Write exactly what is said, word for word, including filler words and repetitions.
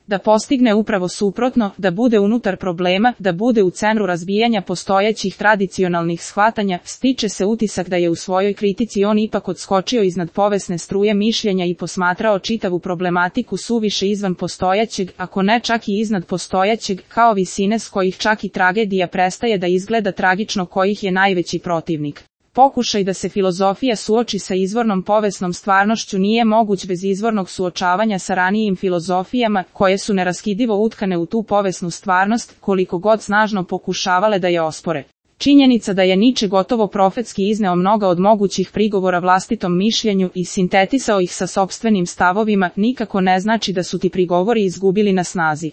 da postigne upravo suprotno, da bude unutar problema, da bude u centru razbijanja postojećih tradicionalnih shvatanja, stiče se utisak da je u svojoj kritici on ipak odskočio iznad povesne struje mišljenja i posmatrao čitavu problematiku suviše izvan postojećeg, ako ne čak i iznad postojećeg, kao visine s kojih čak i tragedija prestaje da izgleda tragično, kojih je najveći protivnik. Pokušaj da se filozofija suoči sa izvornom povesnom stvarnošću nije moguć bez izvornog suočavanja sa ranijim filozofijama, koje su neraskidivo utkane u tu povesnu stvarnost, koliko god snažno pokušavale da je ospore. Činjenica da je Nietzsche gotovo profetski izneo mnoga od mogućih prigovora vlastitom mišljenju i sintetisao ih sa sopstvenim stavovima, nikako ne znači da su ti prigovori izgubili na snazi.